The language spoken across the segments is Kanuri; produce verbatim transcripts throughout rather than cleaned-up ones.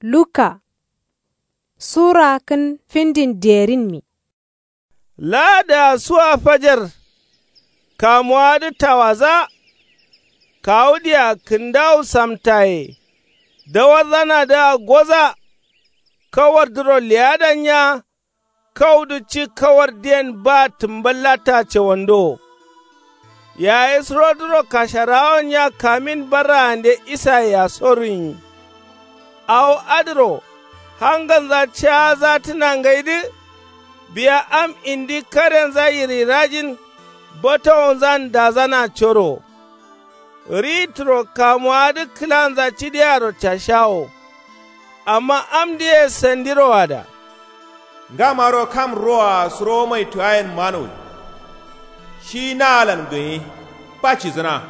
Luka sura kǝn findin derinmi. Laadaa suwa fajar. Kamuwaadǝ tawaza. Kawudǝa kǝndawu samtaye. Dawarzanadǝa goza. Kawardǝro leyadanya. Kaudǝ ci kawardǝyen ba tǝmballata cawando. Yayi surodǝro kasharawonya kamin barraande isayea soruyin. Awo adǝro hangalnza caazatǝna ngaidǝ. Biya am indi karenza yirirajin. Batowonzan dazana coro. Ri turo kamuwaadǝ kǝlanza cidearo cashawo. Amma amdǝye sandiro ada. Ngamaro kam roa suro maituwayen manowi. Shi naalan gǝnyi. Ba cizǝna.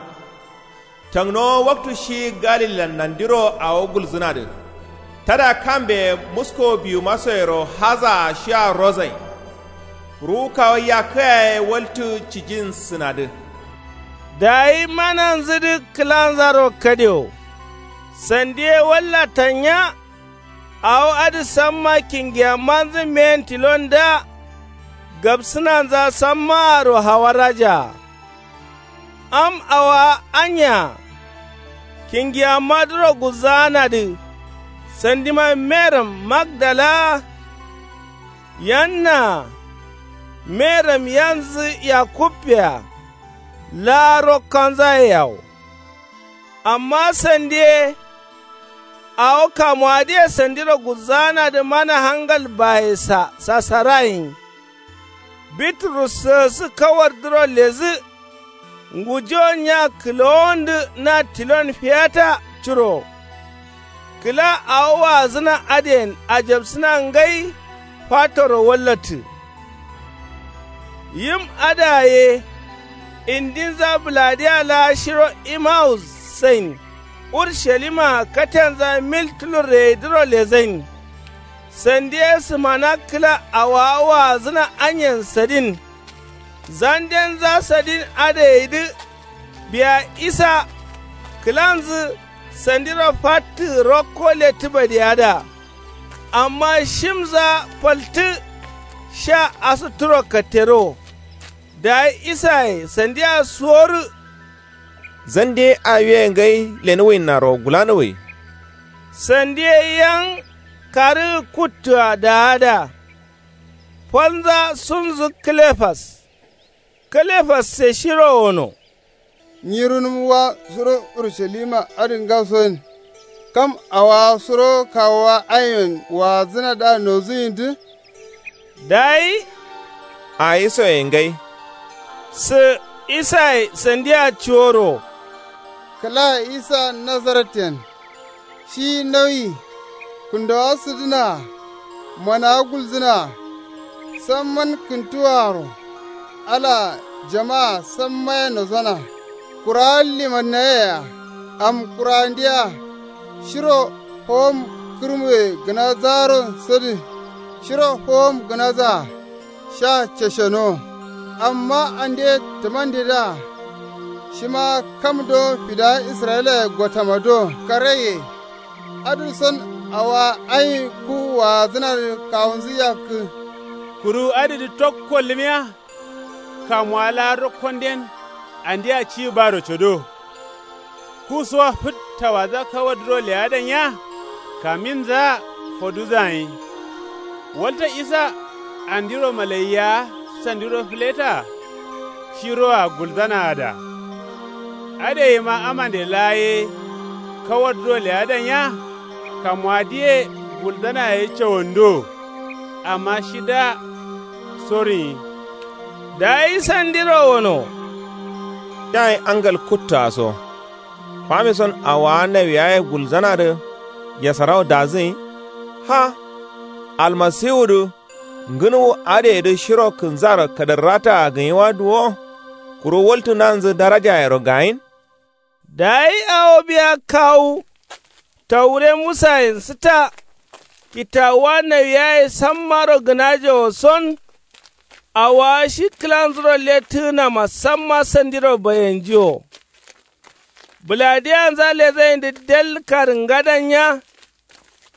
Tangnowo waktu shi galilan nandiro awo gulzǝnadǝ. Tada kambe musko biwumasoyero hazaa shia rozain. Ruwu kawu yakkǝa ye waltǝ cijinsǝnadǝ. Dayi mananzǝdǝ kǝlanzaro kadewo. Sandi ye walla tanya. Awo adǝ samma kingiyammanzǝ meyen tilon da. Gabsǝnanza sammaaro hawarajaa. Am awaa anya. Kingiyammadǝro gulzaanadǝ. Sandima meram magdalaa. Yannaa. Meram yanzǝ yakubbea. Laa rokkanzaye yawo. Amma sandi ye. Awo kamuwadǝye sandiro gulzaanadǝ mana hangal bayesa sasarayin. Bitrus sǝgǝsǝ kawardǝro lezǝ. Ngujonya kǝlowondǝ na tilon fiyata curo. Kǝla awo waazǝna adǝyen ajabsǝna ngai. Fatoro wallattǝ. Yim adǝa ye. Indinza bǝladiya laa shiro imawus sain. Urushalima katenza mil tulurreyedǝro lezain. Sandi ye sǝmana kǝla awaa waazǝna anyen sadin. Zandenza sadin adǝ gaidǝ. Biya isa kǝlanzǝ sandiro fattǝ rokko lettǝ badiyada. Amma shimza faltǝ. Sha asǝtturo kattero. Dayi isaye sandia suworǝ. Zande awiye ngai lenuwuinnaro gulanuwui. Sandi ye yang karǝgǝ kuttua daada. Falnza sunzǝ kǝlefas. Kǝlefasse shiro wono. Nyi runǝm wa suro urushalima adǝ ngasoyen. Kam awowa suro kawowa aiyen waazǝnadǝa nozǝyindǝ. Dayi ayi soye ngai. Sǝ isaye sandia cuworo. Kǝla isa nazaretyen. Shi nauyi kǝndowa sǝdǝnaa. Manawa gulzǝnaa. Samman kǝntuwaaro. Alaa jamaa sammaye nosona. Kurawa limannayea. Am kurawandiya. Shiro howom kǝrmuye gǝnazaro sǝdǝ. Shiro howom gǝnazaa. Sha casheno. Amma ande tǝmandedǝa. Shima kam do fidawa israyilaye gotama do karaiye. Adǝ son awowa ai ku waazǝnadǝ kawunzǝ yakkǝ. Kuru adǝdǝ tokko lǝmiya. Kamuwa laa rokkonden andia ci baro codo. Ku sowa fǝt tawaza kawadǝro leyadan ya. Kaminzaa foduzayin. Walta isa andiro malaiya sandiro fǝletaa. Shiroa gulzanaada. Adǝ yeima amande laa ye. Kawadǝro leyadan ya. Kamuwadǝye gulzana ye cawando. Amma shida soruyin. Dayi sandiro wono. Yayi angal kuttoa so. Fami son awowa nawiyaye gulzanadǝ. Yasarawo dazǝyin. Ha. Almasiwudǝ. Ngǝnuwu adǝyedǝ shiro kǝnzaro kadǝrrataa gǝnyiwa duwo. Kuru waltǝnanzǝ darajayero gayin. Dayi awo biya kawu. Taure musayen sǝta. Kitawuwa nawiyaye sammaro gǝnajewo son. Awowa shi kǝlanzuro lettǝgǝnama samma sandiro bayenjiwo. Bǝladiyanza lezayindǝ del karǝngadan nya.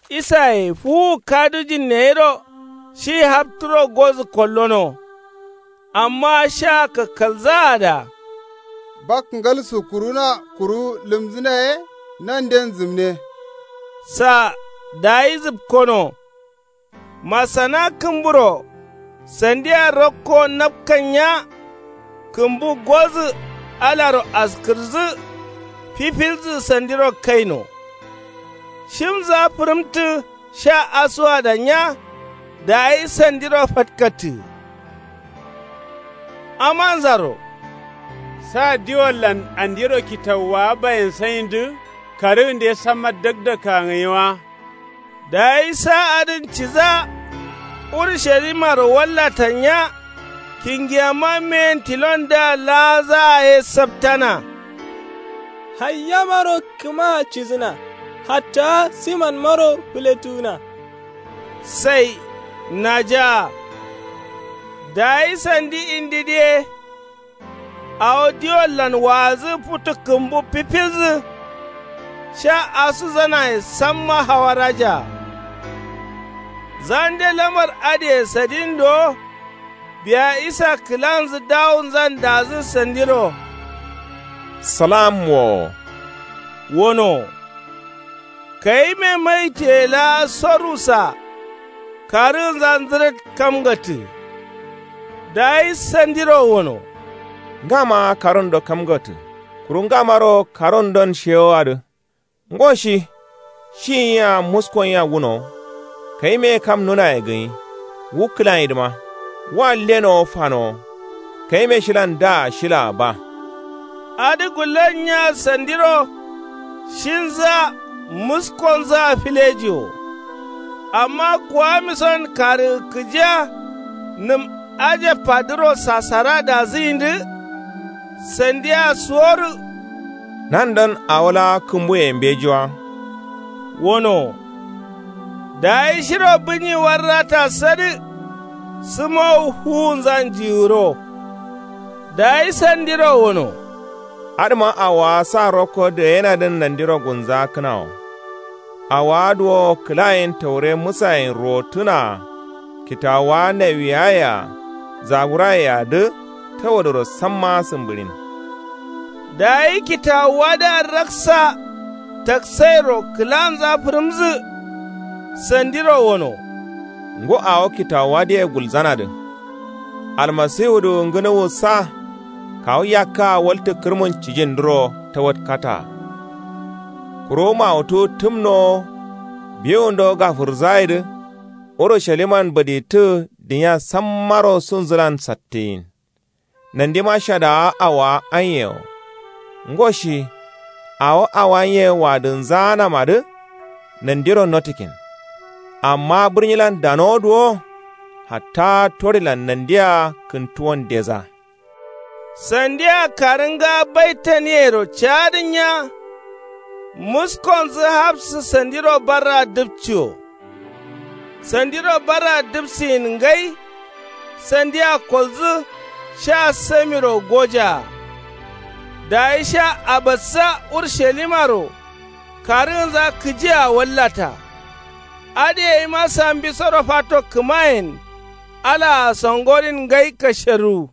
Isaye fuwu kadujin neyiro shi hapturo gozǝ kollono. Amma sha kakkalzaada. Bak ngal sukkuruna kuru lǝmzǝna ye nanden zǝmne. Sa dayi zǝpkono. Masana kǝmburo sandiya rokko napkannya. Kǝmbu gozǝ alaro askǝrǝzǝ fifilzǝ sandiro kaino. Shimza fǝrǝmtǝ sha asuwadannya. Dayi sandiro fatkattǝ. Amanzaro. Sa diwollan andero kitawuwa bayensaindǝ karǝgǝnde samma dakdakka ngǝyi wa. Dayi sa adǝn ciza urushalimaro wallatannya. Kingiyama meyen tilondǝa laazaa ye saptana. Hayyamaro kǝmaa cizǝna. Hatta simanmaro fǝletuwuna. Sai najaa. Dayi sandi indidǝ ye. Awo diwollan waazǝ futu kǝmbu fifilzǝ. Sha asuzanaye samma hawarajaa. Zande lamar adǝye sadin dowo. Biya isa kǝlanzǝ dawunzan dazǝ sandiro. Salam wo. Wono. Kayime maitiye laa sorusa. Karǝgǝnza nzǝrǝt kamgatǝ. Dayi sandiro wono. Ngama karǝndo kamgatǝ. Kuru ngamaro karǝndon shewoadǝ. Ngo shi. Shi yia muskonyiya wuno. Kayime kam nunaye gǝnyi. Wu kǝlayidǝma. Wa lenowo fanowo. Kayime shilan daa shilaa ba. Adǝ gullonyiya sandiro. Shinzǝa muskonzǝa filejiwo. Amma kuwamison karǝgǝ kǝjiya. Nǝm ajabadǝro sasara dazǝyindǝ. Sandiya suworǝ. Nandon awo laa kǝmbuye mbejiwa. Wono. Dayi shiro bǝnyi warrata sadǝ. Sǝmowu fuwunzan jiwuro. Dayi sandiro wono. Adǝma awowa sa rokko dǝgayenadǝn nandiro gunzakǝnawo. Awowa duwo kǝlayen taure musayen rottǝnaa. Kitawuwa nawiyaye-a zaburaye-a dǝ tawadoro samma sǝmbǝɍin. Dayi kitawuwadǝa raksa taksairo kǝlanza fǝrǝmzǝ. Sandiro wono. Ngo awo kitawuwadǝye gulzanadǝ. Almasiwudǝ ngǝnuwussa. Kawu yakkaa waltǝ kǝrmun cijindǝro tawatkataa. Kuru mawutu tǝmnowo. Biwundo gafǝrzaidǝ. Urusaliman badittǝ. Duniya sammaro sunzǝlan sattiyin. Nandima shadawa awowa anye wo. Ngo shi. Awo awanye wadǝnzanamadǝ. Nandiro notikin. Amma bǝrnyilan danowo duwo. Hatta torilan nandia kǝntuwon deza. Sandia karǝnga baitaniyero caadǝnya. Muskonzǝ hapsǝ sandiro barra dǝpciwo. Sandiro barra dǝpsiyin ngai. Sandia kolzǝ sha samiro gojaa. Dayi sha abassa urushalimaro. Karǝgǝnza kǝjia wallata. Adǝ yayima sambisoro fato kǝmayen. Alaa songorin ngai kasheruwu.